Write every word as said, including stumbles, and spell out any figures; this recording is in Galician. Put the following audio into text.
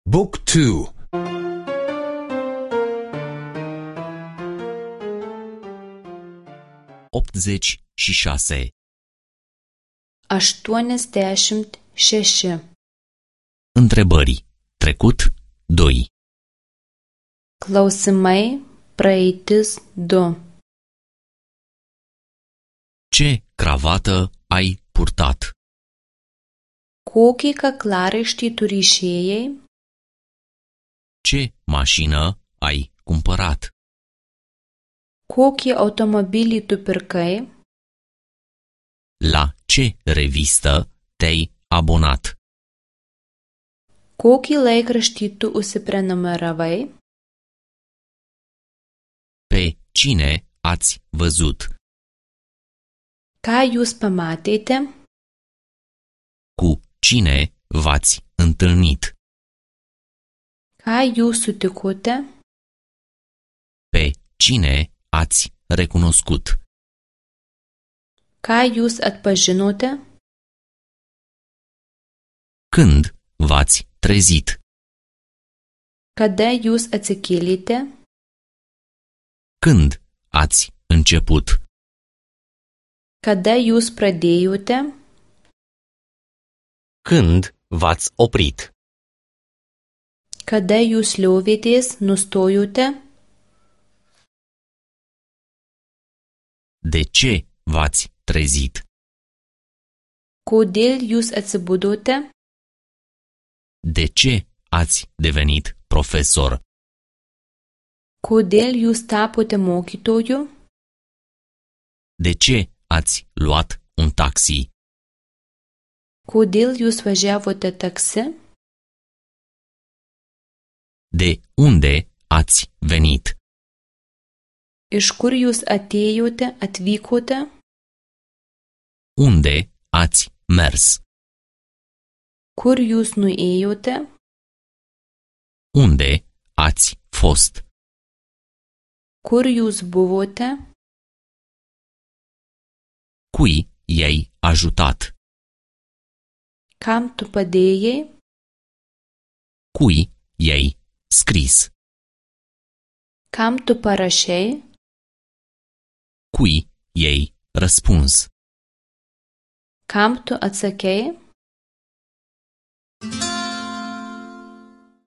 Book two. optzeci și șase. aštuoniasdešimt šeši. Întrebări. Trecut doi. Klausimai praeitis du. Ce cravată ai purtat? Kokį kaklaraištį tu ryšėjai? Ce mașină ai cumpărat? Kokį automobilį tu pirkai? La ce revistă te-ai abonat? Kokį laikraštį tu užsiprenumeravai? Pe cine ați văzut? Ką jūs pamatėte? Cu cine v-ați întâlnit? Ką jūs sutikote? Pe cine ați recunoscut? Ką jūs atpažinote? Când v-ați trezit? Kada jūs atsikėlėte? Când ați început? Kada jūs pradėjote? Când v-ați oprit? Kada jūs liovėtės, nustojote? De ce v-ați trezit? Kodėl jūs atsibudote? De ce ați devenit profesor? Kodėl jūs tapote mokytoju? De ce ați luat un taxi? Kodėl jūs važiavote taksi? De unde ați venit? Iš kur jūs atėjote, atvykote? Unde ați mers? Kur jūs nuėjote? Unde ați fost? Kur jūs buvote? Cui i-ai ajutat? Kam tu padėjai? Cui i-ai scris? Kam tu parašei? Cui i-ai răspuns? Kam tu atsakei?